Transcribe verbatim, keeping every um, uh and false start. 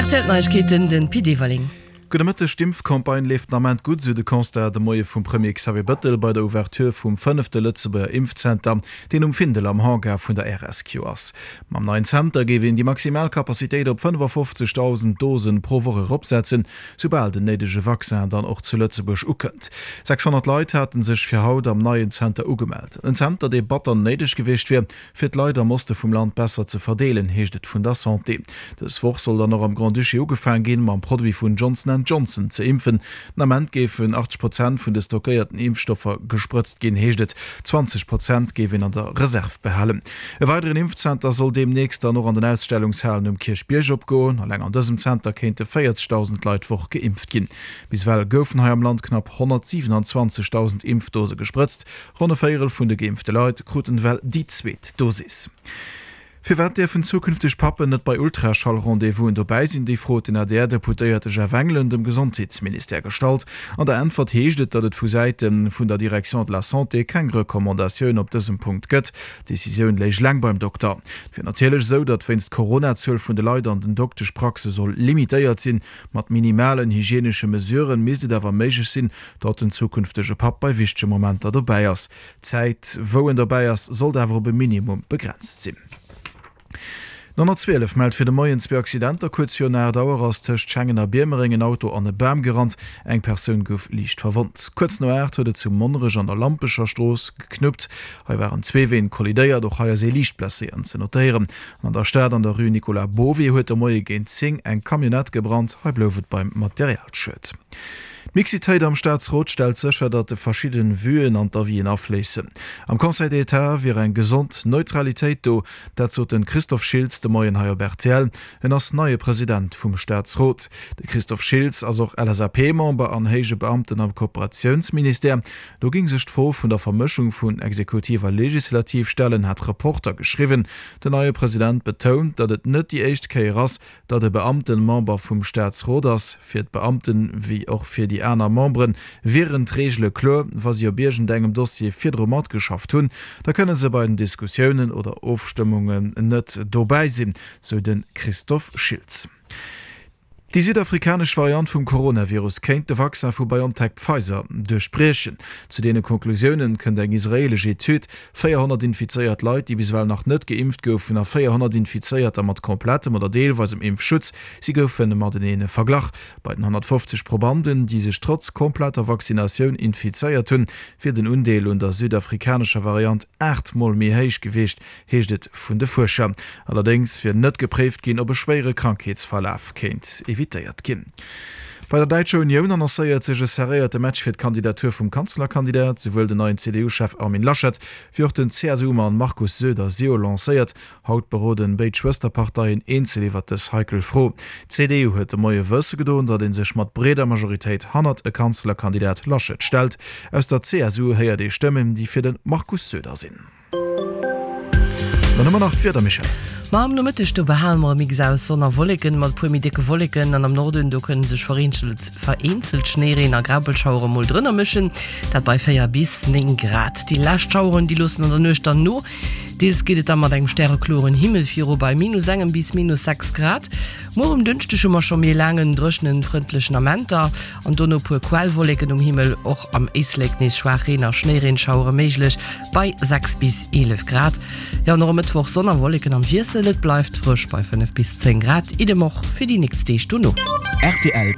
R T L Neiegkeeten, den Pit Everling. Gudde Mëtteg, D'Impfcampagne leeft den Ament gutt, sou de Constat de Moie vum Premier Xavier Bettel bei der Ouverture vum fënnefte Lëtzebuerger Impfzenter, deen um Findel am Hangar vun der R S Q ass. Mam neien Zenter géif een déi maximal Capacitéit op fënnefaffofzegdausend Dosen pro Woch eropsetzen, soubal den néidege Vaccin dann och zu Lëtzebuerg ukënnt. sechshonnert Leit hate sech fir haut am neien Zenter ugemellt. En Zenter, dee batter néideg gewiescht wier, fir d'Leit am Oste vum Land besser ze verdeelen, heescht et vun der Santé. Dës Woch soll dann och am Grand-Duché ugefaang ginn, mam Produit vun Johnson and Johnson ze impfen. Den Ament géifen achtzeg Prozent vun de stockéierten Impfstoffer gesprëtzt ginn, heescht et. zwanzeg Prozent géif een an der Reserv behalen. E weideren Impfzenter soll deemnächst dann och an den Ausstellungshalen um Kierchbierg opgoen. Eleng an dësem Zenter kéinte véierzegdausend Leit d'Woch geimpft ginn. Bis ewell goufen hei am Land knapp honnertsiwenanzwanzegdausend Impfdose gesprëtzt. Ronn e Véierel vun de geimpfte Leit kruten ewell déi zweet Dosis. Firwat dierfen zukünfteg Pappen net bei Ultraschall-Rendez-vousen dobäi sinn? Déi Fro huet den A D R-Deputéierte Jeff Engelen dem Gesondheetsministère gestallt. An der Äntwert heescht et, datt et vu Säite vun der Direction de la Santé keng Recommandatioun op dësem Punkt gëtt. D'Decisioun léich eleng beim Dokter. Et wier natierlech esou, datt wéinst Corona d'Zuel vun de Leit an den Dokteschpraxe soll limitéiert sinn. Mat minimalen hygienesche Mesuren misst et awer méiglech sinn, datt den zukünftege Papp bei wichtege Momenter dobäi ass. D'Zäit, wou en dobäi ass, sollt awer op e Minimum begrenzt sinn. Den honnertzwielef mellt fir de Moien zwee Accidenter. Kuerz virun aacht Auer ass tëscht Schengen a Biermereng en Auto an e Bam gerannt. Eng Persoun gouf liicht verwonnt. Kuerz no aacht huet et zu Monnerech an der Lampecher Strooss geknuppt. Hei waren zwee Ween kollidéiert. Och hei ass ee liicht Blesséierten ze notéieren. An an der Stad an der Rue Nicolas Bovy huet de Moie géint zéng eng Camionnette gebrannt. Hei blouf et beim Materialschued. D'Mixitéit am Staatsrot stellt sécher, datt de verschidden Vuen an d'Avisen afléissen. Am Conseil d'État wier eng gesond Neutralitéit do, dat sot de Christophe Schiltz de Moien hei op R T L. En ass neie President vum Staatsrot. De Christophe Schiltz ass och L S A P-Member an héije Beamten am Kooperatiounsministère. Do géing sech d'Fro vun der Vermëschung vun Exekutiv a Legislativ stellen, hat Reporter geschriwwen. Den neie President betount, datt et net déi éischt Kéier ass, datt e Beamten Member vum Staatsrot ass. Fir d'Beamten, wéi och fir déi aner Memberen, wieren d'Reegele kloer, wa si op iergendengem Dossier virdru matgeschafft hunn, da kënne se bei den Diskussiounen oder Ofstëmmungen net dobäi sinn, sou de Christophe Schiltz. Déi südafrikanesch Variant vum Coronavirus kéint de Vaccin vu BioNTech-Pfizer duerchbriechen. Zu deene Conclusiounen kënnt eng israeelesch Etüd. véierhonnert infizéiert Leit, déi bis ewell nach net geimpft goufen, a véierhonnert Infizéierter mat komplettem oder deelweisem Impfschutz, si goufe matenee verglach. Bei den honnertfofzeg Probanden, déi sech trotz kompletter Vaccinatioun infizéiert hunn, wier den Undeel un der südafrikanescher Variant aacht Mol méi héich gewiescht, heescht et vun de Fuerscher. Allerdéngs wier net gepréift ginn, ob e schwéiere Krankheetsverlaf kéint evitéiert ginn. Bei der Däitscher Unioun annoncéiert sech e serréierte Match fir d'Kandidatur vum Kanzlerkandidat. Souwuel den neien C D U-Chef Armin Laschet wéi och den C S U-Mann Markus Söder si jo lancéiert. Haut beroden béid Schwësterparteien eenzel iwwer dës heikel Fro. D'C D U huet de Moie wësse gedoen, datt ee sech mat breeder Majoritéit hannert e Kanzlerkandidat Laschet stellt. Aus der C S U héiert ee Stëmmen, déi fir de Markus Söder sinn. Dann hu mer nach d'Wieder, Michèle. Ma am Nomëtteg do behale mer e Mix aus Sonn a Wolleken, mat puer méi décke Wolleken, an am Norden do kënne sech vereenzelt vereenzelt Schnéireen a Graupelschauere mol drënner mëschen, dat bei véier bis néng Grad. Déi lescht Schaueren déi loossen an der Nuecht dann no, deels geet et da mat engem stärekloren Himmel viru bei minus engem bis minus sechs Grad. Muer um Dënschdeg hu mer scho méi laangen dréchenen, frëndlechen Amenter an dono puer Quellwolleken um Himmel, och am Éislek nees schwaach Reen a Schnéireenschauere méiglech bei sechs bis eelef Grad. Jo, an och e Mëttwoch Sonn a Wolleken am Wiessel, et bleift frësch bei fënnef bis zéng Grad. Idem och fir déi nächst Deeg dono. R T L.